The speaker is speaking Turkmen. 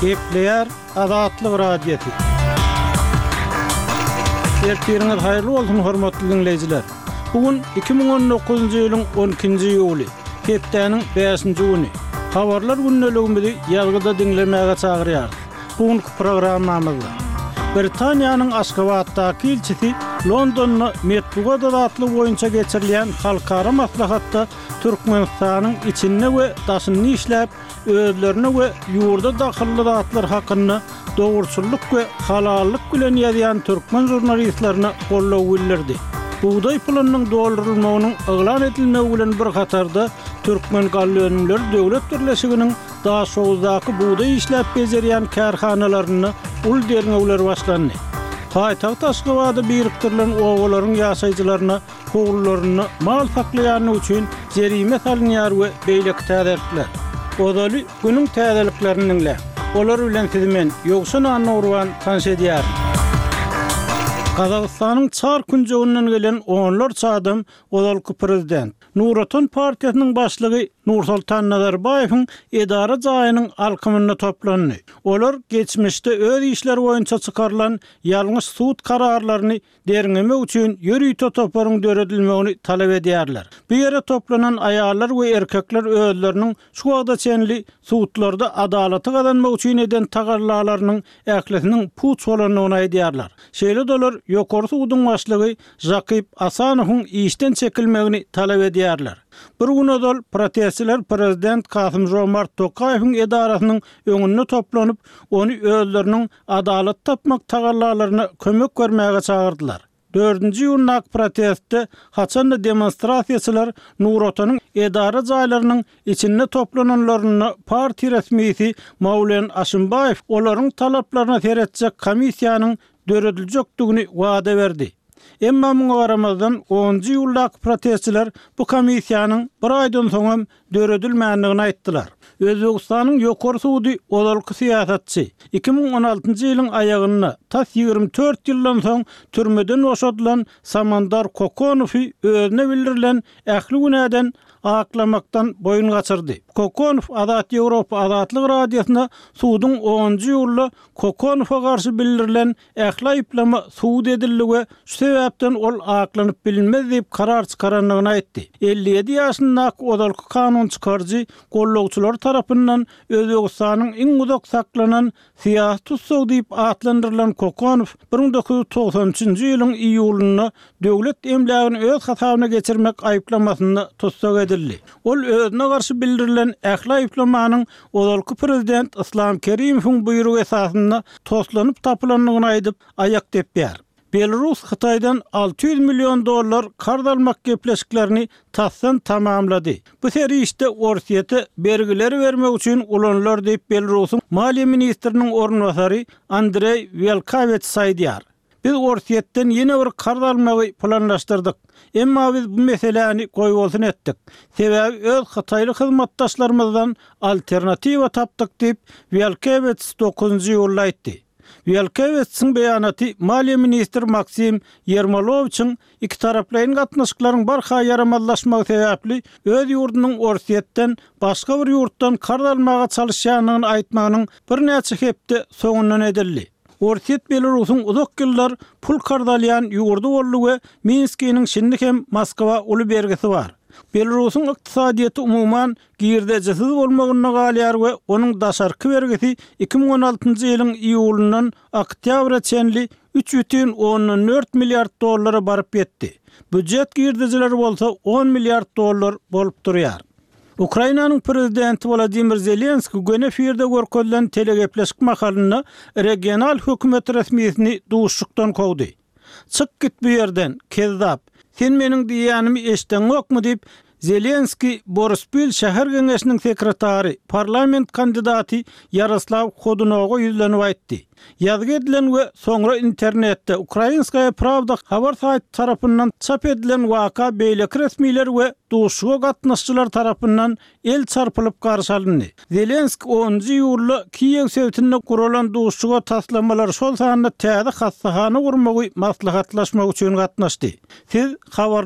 Gepleýär Azatlyk Radiosy. Ertiriňiz haýyrly bolsun, hormatly diňleýjiler! Bu gün 2019-njy ýylyň on ikinji iýuly, hepdäniň bäşinji güni. Habarlar gündeligimizi ýazgyda diňlemäge çagyrýarys. Bu günki programmamyzda Britaniýanyň Aşgabatdaky ilçisi Londonda metbugat azatlygy boýunça geçirilýän halkara maslahatda Türkmenistanyň içinde we daşynda işläp, özlerine we ýurda dahylly zatlar hakynda dogruçyllyk we halallyk bilen ýazýan türkmen žurnalistlerine goldaw bildirdi. Bugdaý pulunyň doldurylmagynyň yglan edilmegi bilen bir hatarda Türkmengallaönümleri döwlet birleşiginiň Daşoguzdaky bugdaý işläp bejerýän kärhanalarynda uly derňewler başlandy. Paýtagt Aşgabada birikdirilen obalaryň ýaşaýjylaryna howlularynda mal saklaýany üçin jerime salynýar we beýleki täzelikler. Ozaly günüň täzeliklerini diňläň. Olar bilen sizi men, Ýowşan Annagurban tanyş edýärin. Gazagystanyň çar künjeginden gelen onlarça adam ozalky prezident, Nur Otan partiýasynyň başlygy Nursoltan Nazarbaýewiň edara jaýynyň alkymynda toplandy. Olar geçmişde öz işleri boýunça çykarylan ýalňyş sud kararlaryny derňemek üçin ýörite toparyň döredilmegini talap edýärler. Bu ýere toplanan aýallar we erkekler özleriniň şu wagta çenli sudlarda adalaty gazanmak üçin eden tagallalarynyň ählisiniň puç bolandygyny aýdýarlar. Şeýle-de olar Ýokary suduň başlygy Žakyp Asanowyň işden çekilmegini talap edýärler. Bir gün ozal protestçiler prezident Kasym-Žomart Tokaýewiň edarasynyň öňünde toplanyp, ony özleriniň adalat tapmak tagallalaryna kömek bermäge çagyrdylar. Dördünji iýundaky protestde, haçan-da demonstrasiýaçylar Nur Otanyň edara jaýlarynyň içinde toplananlarynda partiýa resmisi Maulen Aşimbaýew olaryň talaplaryna seretjek komissiýanyň dörediljekdigini wada berdi. Emma muňa garamazdan, onunjy iýuldaky protestçiler bu komissiýanyň bir aýdan soňam döredilmändigini aýtdylar. Özbegistanyň Ýokary sudy ozalky syýasatçy, 2016-njy ýylyň aýagynda, tas 24 ýyldan soň türmeden boşadylan Samandar Kokonowy özüne bildirilen ähli günäden aklamakdan boýun gaçyrdy. Kokonow Azat Ýewropa Azatlyk Radiosyna suduň onunjy iýulda Kokonowa garşy bildirilen ähli aýyplama subut edildi we şu sebäpden ol aklanyp bilinmez diýip karar çykarandygyny aýtdy. 57 ýaşyndaky ozalky kanun çykaryjy gollagçylary tarapyndan Özbegistanyň iň uzak saklanan syýasy tussagy diýip atlandyrylan Kokonow 1993-nji ýylyň iýulynda döwlet emlägini öz hasabyna geçirmek aýyplamasynda tussag edildi. Ol özüne garşy bildirilen ähli aýyplamanyň ozalky prezident Yslam Kerimowyň buýrugy esasynda toslanyp tapylandygyny aýdyp, aýak depýär. Belarus Hytaýdan 600 million dollar karz almak gepleşiklerini tasdan tamamlady. Bu serişde Orsýete bergileri bermek üçin ulanylar diýip, Belarusyň maliýe ministriniň orunbasary Andreý Welkawets aýdýar. Biz Orsýetden ýene bir karz almagy planlaşdyrdyk. Emma biz bu meseläni goýbolsun etdik. Sebäbi öz hytaýly hyzmatdaşlarymyzdan alternatiwa tapdyk diýip, Welkewets dokuzynjy iýulda aýtdy. Welkewetsiň beýanaty maliýe ministri Maksim Ýermolowiçiň ikitaraplaýyn gatnaşyklaryň barha ýaramazlaşmagy sebäpli öz ýurdunyň Orsýetden başga bir ýurtdan karz almaga çalyşýandygyny aýtmagynyň birnäçe hepde soňundan edildi. Orsýet Belarusyň uzak ýyllar pul karz alýan ýurdy boldy we Minskiniň şindi hem Moskwa uly bergisi bar. Belarusyň ykdysadyýeti umuman girdejisiz bolmagynda galýar we onuň daşarky bergisi 2016-njy ýylyň iýulyndan oktýabra çenli 3,4 milliard dollara baryp ýetdi. Býujet girdejileri bolsa on milliard dollar bolup durýar. Ukrainanyň prezidenti Wolodymyr Zelenskiý göni efirde görkezilen telegepleşik mahalynda regional hökümet resmisini duşuşykdan kowdy. Çyk git bu ýerden, kezzap! Sen meniň diýýänimi eşdeňokmy diýip, Zelenskiý Boryspil şäher geňeşiniň sekretary, parlament kandidaty Ýaroslaw Hodunowa ýüzlenip aýtdy. Ýazgy edilen we soňra internetde Ukrainskaýa Prawda habar saýty tarapyndan çap edilen waka beýleki resmiler we duşuşyga gatnaşyjylar tarapyndan el çarpylyp garşy alyndy. Zelenskiý onunjy iýulda Kiýew sebitinde guralan duşuşyga taslamalary, şol sanda täze hassahana gurmagy maslahatlaşmak üçin gatnaşdy. Siz habarly.